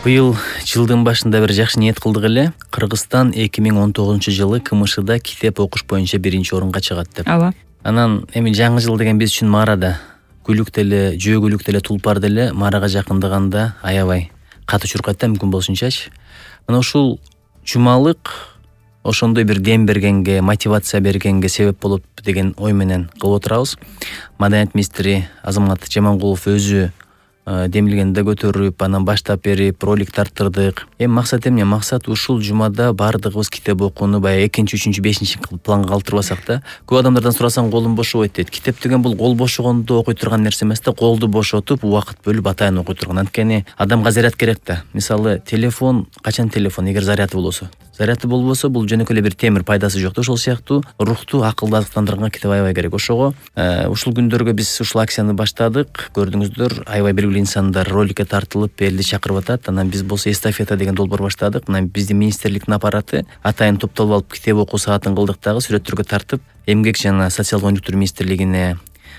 Быйыл жылдын башында бир жакшы ниет кылдык эле. Кыргызстан 2019-жылы КМШда китеп окуш боюнча 1-орунга чыгат деп. Ооба. Анан эми жаңы жыл деген биз үчүн маарада күлүк деле, жөө деле, тулпар деле маарага жакындаганда аябай катуу чуркайт да мүмкүн болушунчачы. Мына ушул жумалык ошондой бир дем бергенге, мотивация бергенге себеп болот деген ой менен кылып отурабыз. Маданият министри Азамат Жамангулов өзү демилгенде көтөрүп, анан баштап берип, ролик тарттырдык. Эми максат эмне? Максат ушул жумада баардыгыбыз китеп окууну баягы 2, 3, 5 планга калтырбасак да. Көп адамдардан сурасаң колум бошобойт дейт. Китеп деген бул кол бошогондо окуй турган нерсе эмес да, колду бошотуп, убакыт бөлүп атайын окуй турган. Анткени адамга заряд керек да. Мисалы, телефон, качан телефон эгер заряды болбосо. Заряды болбосо бул жөнөкөй эле бир темир, пайдасы жок да. Ошол сыяктуу рухту акылдандырганга китеп аябай керек. Ошого ушул күндөргө биз ушул акцияны баштадык. Көрдүңүздөр, аябай белгилүү инсандар роликке тартылып, элди чакырып атат. Анан биз болсо эстафета деген долбоор баштадык. Мына биздин министрликтин аппараты атайын топтолуп алып китеп окуу саатын кылдык дагы, сүрөттөргө тартып, эмгек жана социалдык өнүктүрүү министрлигине,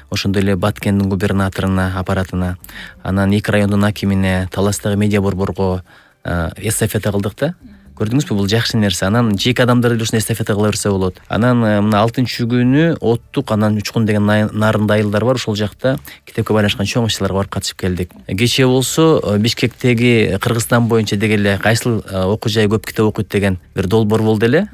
ошондой эле Баткендин губернаторуна, аппаратына, анан 2 райондун акимине, Таластагы медиа борборго эстафета кылдык да. Көрдүңүзбү, бул жакшы нерсе. Анан жеке адамдар деле ушуну эстафета кыла берсе болот. Анан мына 6-күнү Оттук, анан Учкун деген нарында айылдар бар. Ошол жакта китепке байланышкан чоң иш-чараларга барып катышып келдик. Кечээ болсо Бишкектеги Кыргызстан боюнча деги эле кайсыл окуу жай көп китеп окуйт деген бир долбоор болду эле.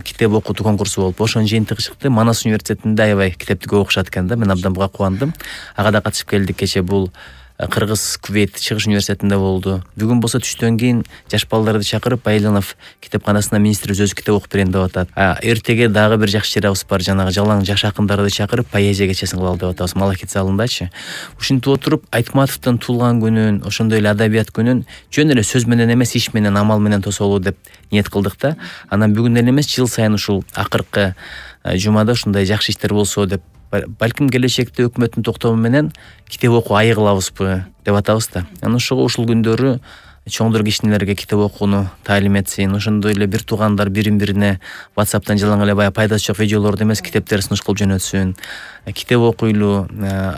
Китеп окутуу конкурсу болуп, ошонун жыйынтыгы чыкты. Манас университетинде аябай китепти көп окушат экен да. Мен абдан буга кубандым. Ага да катышып келдик кечээ. Бул Кыргыз Кувейт Чыгыш университетинде болду. Бүгүн болсо түштөн кийин жаш балдарды чакырып Байланов китепканасына министрибиз өзү китеп окуп берейин деп атат. Эртеге дагы бир жакшы чарабыз бар. Жанагы жалаң жаш акындарды чакырып поэзия кечесин кылалы деп атабыз Малахит залындачы. Ушинтип отуруп Айтматовдун туулган күнүн, ошондой эле адабият күнүн жөн эле сөз менен эмес, иш менен, амал менен тосолу деп ниет кылдык да. Анан бүгүн эле эмес, жыл сайын ушул акыркы жумада ушундай жакшы иштер болсо деп, балким келечекте өкмөттүн токтому менен китеп окуу айы кылабызбы деп атабыз да. Анан ошого ушул күндөрү чоңдор кичинелерге китеп окууну таалим этсин. Ошондой эле бир туугандар бирин-бирине WhatsApp'тан жалаң эле баягы пайдасы жок видеолорду эмес, китептерди сунуш кылып жөнөтсүн. Китеп окуйлу,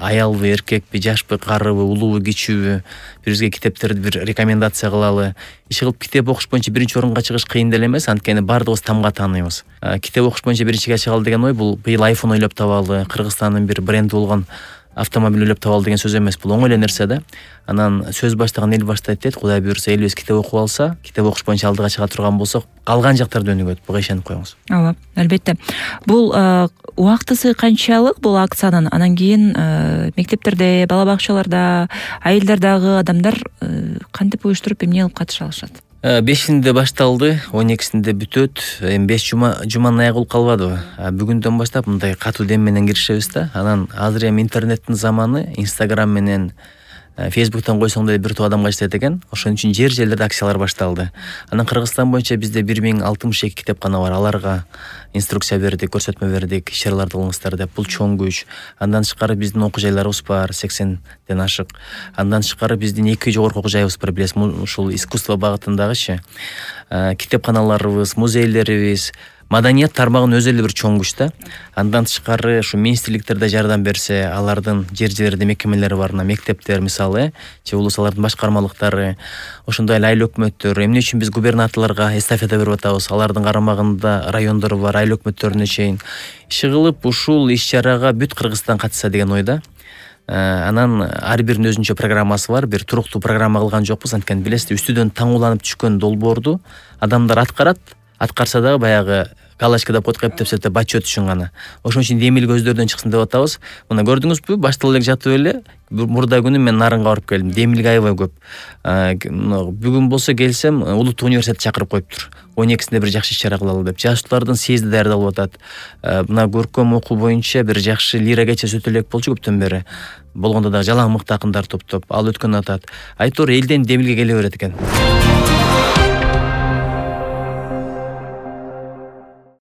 аялбы, эркекпи, жашпы, карыбы, улуубу, кичүүбү, бирибизге китептерди бир рекомендация кылалы. Иш кылып китеп окуш боюнча 1-орунга чыгыш кыйын деле эмес, анткени баардыгыбыз тамга тааныйбыз. Китеп окуш боюнча 1-ге чыгалы деген ой бул быйыл iPhone ойлоп табалы, Кыргызстандын бир бренди болгон автомобиль ойлоп табалы деген сөз эмес. Бул оңой эле нерсе да. Анан сөз баштаган эл баштайт дейт. Кудай буйрса элибиз китеп окуп алса, китеп окуш боюнча алдыга чыга турган болсок, калган жактарда өнүгөт. Буга ишенип коюңуз. Ооба, албетте. Бул убактысы канчалык бул акциянын? Анан кийин мектептерде, бала бакчаларда, айылдардагы адамдар кантип уюштуруп эмне кылып катыша алышат? 5-inde башталды, 12-синде бүтөт. Эми 5 жуманын аягы болуп калбадыбы? Бүгүндөн баштап мындай катуу дем менен киришебиз да. Анан азыр эми интернеттин заманы, Instagram менен Facebook'тан койсоң да бир топ адамга жетет экен. Ошон үчүн жерлерде акциялар башталды. Анан Кыргызстан боюнча бизде 1062 китепкана бар. Аларга инструкция бердик, көрсөтмө бердик, иш-чараларды кылыңыздар деп. Бул чоң күч. Андан тышкары биздин окуу жайларыбыз бар, 80ден ашык. Андан тышкары биздин 2 жогорку окуу жайыбыз бар, билесиз, ушул искусство багытындагычы. Китепканаларыбыз, музейлерибиз, маданият тармагынын өзү эле бир чоң күч да. Андан тышкары ушу министрликтерде жардам берсе, алардын жер-жерде мекемелери бар, мектептер мисалы, же улусалардын башкармалыктары, ошондой эле айыл өкмөттөр. Эмне үчүн биз губернаторлорго эстафета берип атабыз? Алардын карамагында райондор бар, айыл өкмөттөрүнө чейин иши кылып ушул иш-чарага бүт Кыргызстан катышса деген ойда. Анан ар биринин өзүнчө программасы бар. Бир туруктуу программа кылган жокпуз, анткени билесиз, үстүдөн таңууланып түшкөн долбоорду адамдар аткарат. Аткарса дагы баягы галочка деп коет, кептепсе деп отчет үчүн гана. Ошон үчүн демилге өздөрүнөн чыксын деп атабыз. Мына көрдүңүзбү, башталып эле жатып эле мурда күнү мен нарынга барып келдим. Демилге аябай көп. Бүгүн болсо келсем, Улуттук университет чакырып коюптур. 12-синде бир жакшы иш-чара кылалы деп. Жаштардын съезди даярдалып атат. Мына көркөм окуу боюнча бир жакшы лира кечеси өтө элек болчу көптөн бери. Болгондо дагы жалаң мыкты акындар топтоп ал өткөн атат. Айтор элден демилге келе берет экен.